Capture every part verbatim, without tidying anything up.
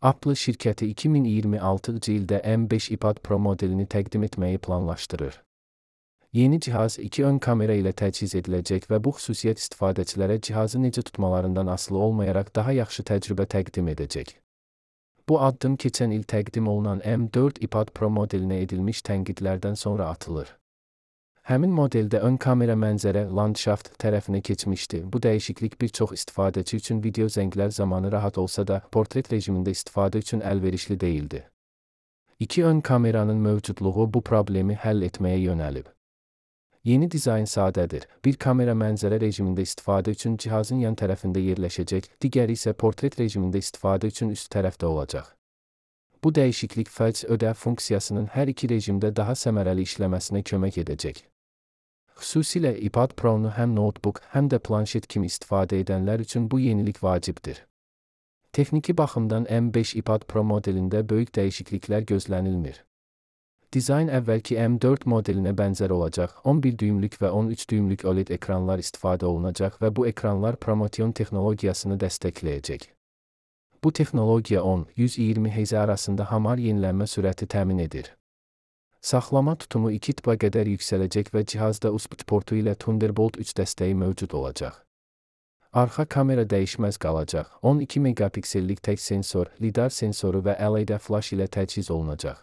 Apple şirkəti iki min iyirmi altıncı ildə M beş iPad Pro modelini təqdim etməyi planlaşdırır. Yeni cihaz iki ön kamera ilə təchiz ediləcək və bu xüsusiyyət istifadəçilərə cihazı necə tutmalarından asılı olmayaraq daha yaxşı təcrübə təqdim edəcək. Bu addım keçən il təqdim olunan M dörd iPad Pro modelinə edilmiş tənqidlərdən sonra atılır. Həmin modeldə ön kamera mənzərə, landşaft tərəfinə keçmişdi. Bu dəyişiklik bir çox istifadəçi üçün video zənglər zamanı rahat olsa da, portret rejimində istifadə üçün əlverişli deyildi. İki ön kameranın mövcudluğu bu problemi həll etməyə yönəlib. Yeni dizayn sadədir. Bir kamera mənzərə rejimində istifadə üçün cihazın yan tərəfində yerləşəcək, digəri isə portret rejimində istifadə üçün üst tərəfdə olacaq. Bu dəyişiklik fərc ödə funksiyasının hər iki rejimdə daha səmərəli işləməsinə kömək edəcək. Xüsusilə iPad Pro-nu həm notebook, həm də planşet kimi istifadə edənlər üçün bu yenilik vacibdir. Texniki baxımdan M beş iPad Pro modelində böyük dəyişikliklər gözlənilmir. Dizayn əvvəlki M dörd modelinə bənzər olacaq, on bir düymlük və on üç düymlük O L E D ekranlar istifadə olunacaq və bu ekranlar Promotion texnologiyasını dəstəkləyəcək. Bu texnologiya on yüz iyirmi hertz arasında hamar yenilənmə sürəti təmin edir. Saxlama tutumu iki tıpa qədər yüksələcək və cihazda U S B portu ilə Thunderbolt üç dəstəyi mövcud olacaq. Arxa kamera dəyişməz qalacaq. on iki megapiksellik tək sensor, lidar sensoru və L E D flash ilə təchiz olunacaq.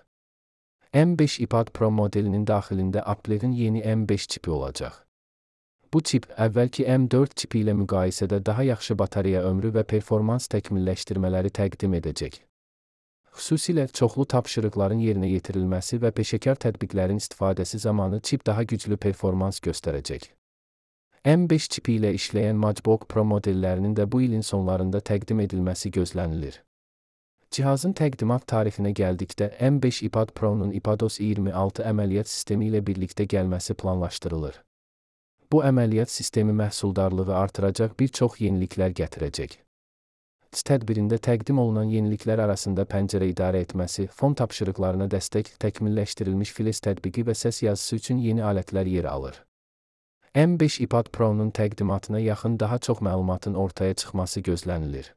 M beş iPad Pro modelinin daxilində Apple'in yeni M beş çipi olacaq. Bu çip, əvvəlki M dörd çipi ilə müqayisədə daha yaxşı batareya ömrü və performans təkmilləşdirmələri təqdim edəcək. Xüsusilə çoxlu tapşırıqların yerinə yetirilməsi və peşəkar tətbiqlərin istifadəsi zamanı çip daha güclü performans göstərəcək. M beş çipi ilə işləyən MacBook Pro modellərinin də bu ilin sonlarında təqdim edilməsi gözlənilir. Cihazın təqdimat tarifinə gəldikdə, M beş iPad Pro-nun iPadOS iyirmi altı əməliyyat sistemi ilə birlikdə gəlməsi planlaşdırılır. Bu əməliyyat sistemi məhsuldarlığı artıracaq bir çox yeniliklər gətirəcək. Tədbirində təqdim olunan yeniliklər arasında pəncərə idarə etməsi, fon tapşırıqlarına dəstək, təkmilləşdirilmiş Flash tətbiqi və səs yazısı üçün yeni alətlər yer alır. M beş iPad Pro-nun təqdimatına yaxın daha çox məlumatın ortaya çıxması gözlənilir.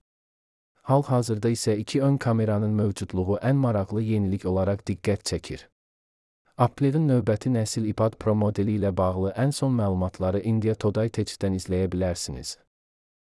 Hal-hazırda isə iki ön kameranın mövcudluğu ən maraqlı yenilik olaraq diqqət çəkir. Apple'in növbəti nəsil iPad Pro modeli ilə bağlı ən son məlumatları India Today Tech'dən izləyə bilərsiniz.